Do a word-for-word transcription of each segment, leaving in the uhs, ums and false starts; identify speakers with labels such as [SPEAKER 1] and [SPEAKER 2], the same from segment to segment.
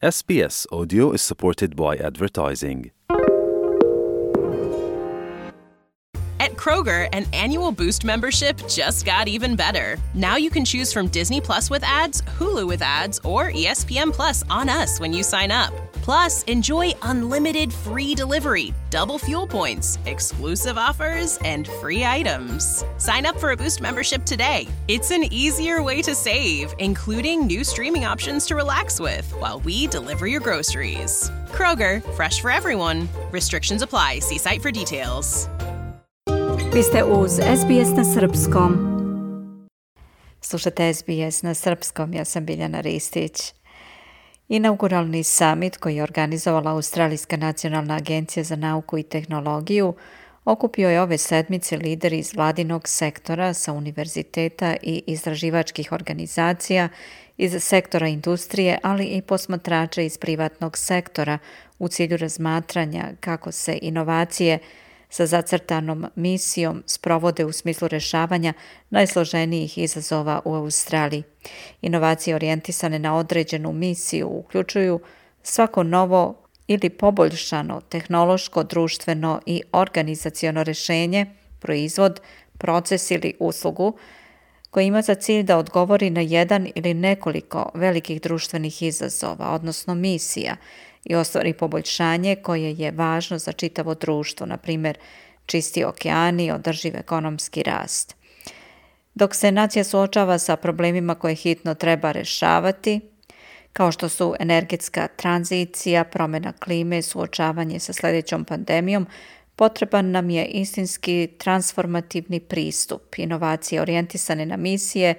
[SPEAKER 1] S B S Audio is supported by advertising.
[SPEAKER 2] At Kroger, an annual Boost membership just got even better. Now you can choose from Disney Plus with ads, Hulu with ads, or E S P N Plus on us when you sign up. Plus, enjoy unlimited free delivery, double fuel points, exclusive offers, and free items. Sign up for a Boost membership today. It's an easier way to save, including new streaming options to relax with while we deliver your groceries. Kroger, fresh for everyone. Restrictions apply. See site for details.
[SPEAKER 3] Vi ste uz S B S na srpskom. Slušate S B S na srpskom, ja sam Biljana Ristić. Inauguralni summit koji je organizovala Australijska nacionalna agencija za nauku i tehnologiju okupio je ove sedmice lideri iz vladinog sektora sa univerziteta i istraživačkih organizacija, iz sektora industrije, ali i posmatrača iz privatnog sektora u cilju razmatranja kako se inovacije sa zacrtanom misijom sprovode u smislu rješavanja najsloženijih izazova u Australiji. Inovacije orijentisane na određenu misiju uključuju svako novo ili poboljšano tehnološko, društveno i organizaciono rješenje, proizvod, proces ili uslugu koji ima za cilj da odgovori na jedan ili nekoliko velikih društvenih izazova, odnosno misija, i ostvari poboljšanje koje je važno za čitavo društvo, na primjer čisti okeani, održiv ekonomski rast. Dok se nacija suočava sa problemima koje hitno treba rješavati, kao što su energetska tranzicija, promjena klime, suočavanje sa sljedećom pandemijom, potreban nam je istinski transformativni pristup, inovacije orijentisane na misije,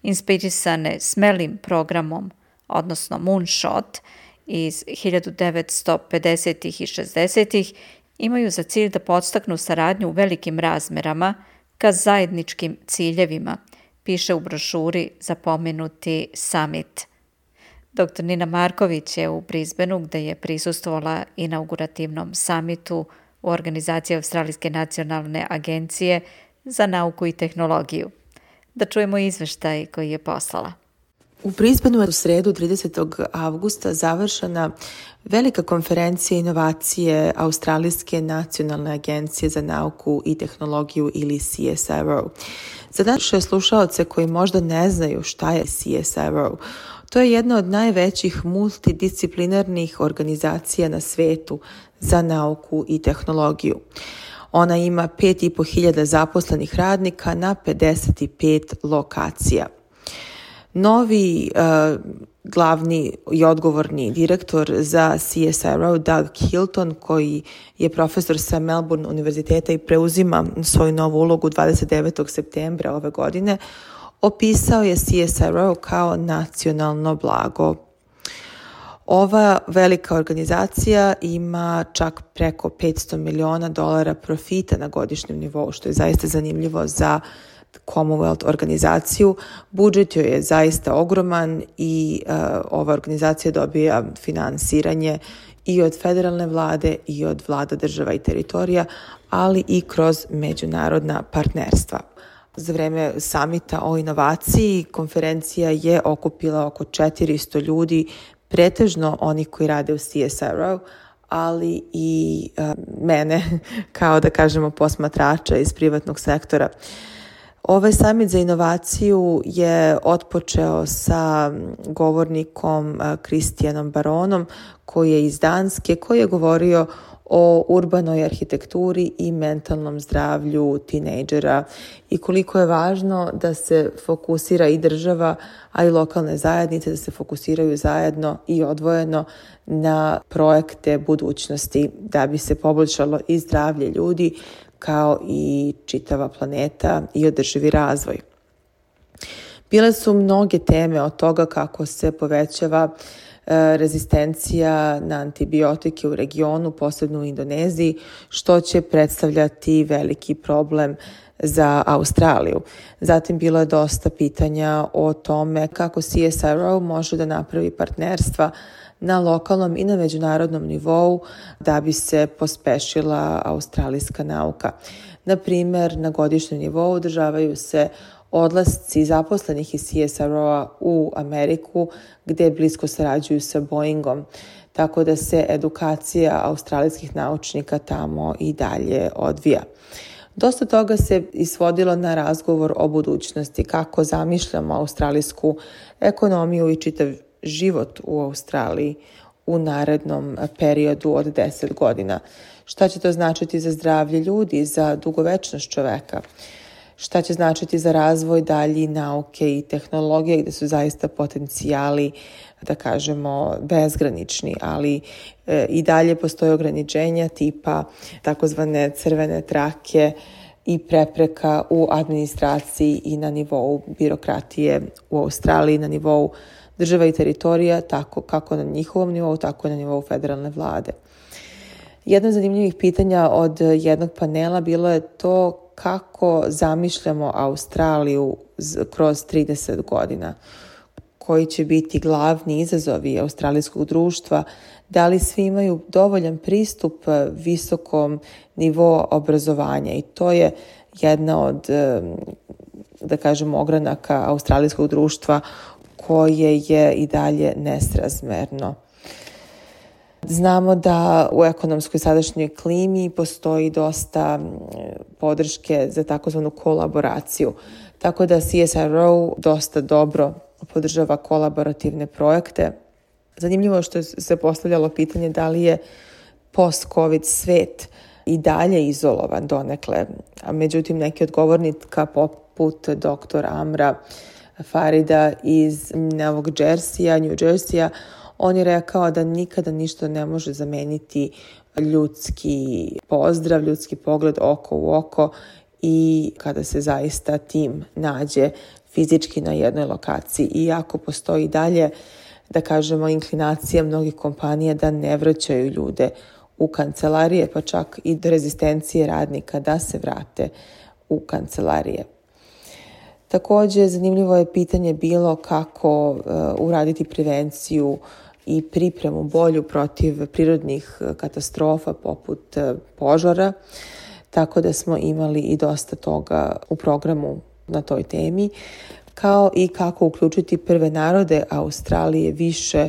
[SPEAKER 3] inspirisane smelim programom, odnosno Moonshot, iz hiljadu devetsto pedesetih i šezdesetih imaju za cilj da podstaknu saradnju u velikim razmerama ka zajedničkim ciljevima, piše u brošuri za pomenuti summit. doktor Nina Marković je u Brisbaneu, gdje je prisustvovala inaugurativnom summitu u organizaciji Australijske nacionalne agencije za nauku i tehnologiju. Da čujemo izveštaj koji je poslala.
[SPEAKER 4] U Brisbaneu je u sredu tridesetog avgusta završena velika konferencija inovacije Australijske nacionalne agencije za nauku i tehnologiju ili C S R O. Za naše slušaoce koji možda ne znaju šta je C S R O, to je jedna od najvećih multidisciplinarnih organizacija na svetu za nauku i tehnologiju. Ona ima pet i po hiljada zaposlenih radnika na pedeset pet lokacija. Novi uh, glavni i odgovorni direktor za C S R O, Doug Hilton, koji je profesor sa Melbourne univerziteta i preuzima svoju novu ulogu dvadeset devetog septembra ove godine, opisao je C S R O kao nacionalno blago. Ova velika organizacija ima čak preko petsto miliona dolara profita na godišnjem nivou, što je zaista zanimljivo za Commonwealth organizaciju. Budžet joj je zaista ogroman i uh, ova organizacija dobija finansiranje i od federalne vlade i od vlada država i teritorija, ali i kroz međunarodna partnerstva. Za vreme samita o inovaciji konferencija je okupila oko četiristo ljudi, pretežno oni koji rade u C S R O, ali i uh, mene kao da kažemo posmatrača iz privatnog sektora. Ovaj samit za inovaciju je otpočeo sa govornikom Kristijanom Baronom, koji je iz Danske, koji je govorio o urbanoj arhitekturi i mentalnom zdravlju tinejdžera i koliko je važno da se fokusira i država, a i lokalne zajednice, da se fokusiraju zajedno i odvojeno na projekte budućnosti da bi se poboljšalo i zdravlje ljudi, kao i čitava planeta i održivi razvoj. Bile su mnoge teme od toga kako se povećava e, rezistencija na antibiotike u regionu, posebno u Indoneziji, što će predstavljati veliki problem za Australiju. Zatim bilo je dosta pitanja o tome kako C S R O može da napravi partnerstva na lokalnom i na međunarodnom nivou da bi se pospešila australijska nauka. Na primjer, na godišnjem nivou održavaju se odlasci zaposlenih iz C S R O-a u Ameriku, gde blisko sarađuju sa Boeingom, tako da se edukacija australijskih naučnika tamo i dalje odvija. Dosta toga se isvodilo na razgovor o budućnosti, kako zamišljamo australijsku ekonomiju i čitav život u Australiji u narednom periodu od deset godina. Šta će to značiti za zdravlje ljudi, za dugovečnost čoveka? Šta će značiti za razvoj dalji nauke i tehnologije, gde su zaista potencijali, da kažemo, bezgranični, ali e, i dalje postoje ograničenja tipa takozvane crvene trake i prepreka u administraciji i na nivou birokratije u Australiji, na nivou država i teritorija, tako kako na njihovom nivou, tako i na nivou federalne vlade. Jedno od zanimljivih pitanja od jednog panela bilo je to kako zamišljamo Australiju kroz trideset godina, koji će biti glavni izazovi australijskog društva, da li svi imaju dovoljan pristup visokom nivou obrazovanja, i to je jedna od, da kažemo, ogranaka australijskog društva koje je i dalje nesrazmerno. Znamo da u ekonomskoj sadašnjoj klimi postoji dosta podrške za takozvanu kolaboraciju, tako da C S R O dosta dobro podržava kolaborativne projekte. Zanimljivo je što se postavljalo pitanje da li je post-COVID svet i dalje izolovan donekle, a međutim neki od govornika poput doktor Amra Farida iz Novog Jerseya, New Jerseya, on je rekao da nikada ništa ne može zameniti ljudski pozdrav, ljudski pogled oko u oko i kada se zaista tim nađe fizički na jednoj lokaciji. Iako postoji dalje, da kažemo, inklinacija mnogih kompanija da ne vraćaju ljude u kancelarije, pa čak i do rezistencije radnika da se vrate u kancelarije. Također, zanimljivo je pitanje bilo kako uh, uraditi prevenciju i pripremu bolju protiv prirodnih katastrofa poput uh, požara, tako da smo imali i dosta toga u programu na toj temi, kao i kako uključiti prve narode Australije više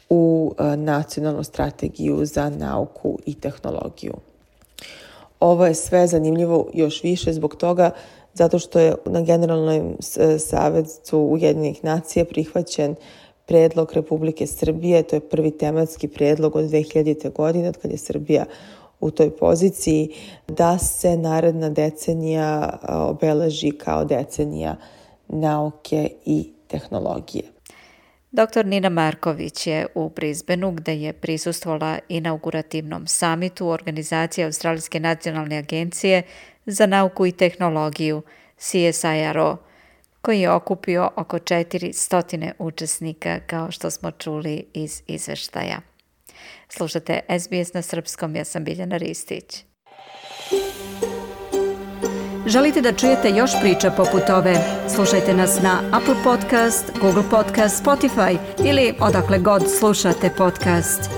[SPEAKER 4] u uh, nacionalnu strategiju za nauku i tehnologiju. Ovo je sve zanimljivo još više zbog toga zato što je na Generalnom savetu Ujedinjenih nacija prihvaćen predlog Republike Srbije, to je prvi tematski predlog od dve hiljadite. godine, od kad je Srbija u toj poziciji, da se naredna decenija obeleži kao decenija nauke i tehnologije.
[SPEAKER 3] Doktor Nina Marković je u Brisbaneu, gde je prisustvovala inaugurativnom samitu organizacije Australijske nacionalne agencije za nauku i tehnologiju C S I R O, koji je okupio oko četiristo učesnika, kao što smo čuli iz izveštaja. Slušate S B S na srpskom, ja sam Biljana Ristić.
[SPEAKER 5] Želite da čujete još priča poput ove? Slušajte nas na Apple Podcast, Google Podcast, Spotify ili odakle god slušate podcast.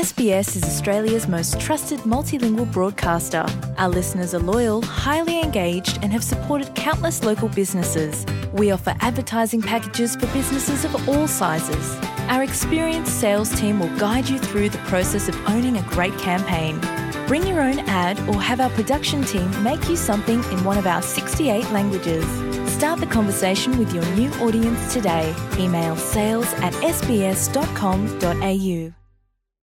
[SPEAKER 6] S B S is Australia's most trusted multilingual broadcaster. Our listeners are loyal, highly engaged, and have supported countless local businesses. We offer advertising packages for businesses of all sizes. Our experienced sales team will guide you through the process of owning a great campaign. Bring your own ad or have our production team make you something in one of our sixty-eight languages. Start the conversation with your new audience today. Email sales at s b s dot com dot a u.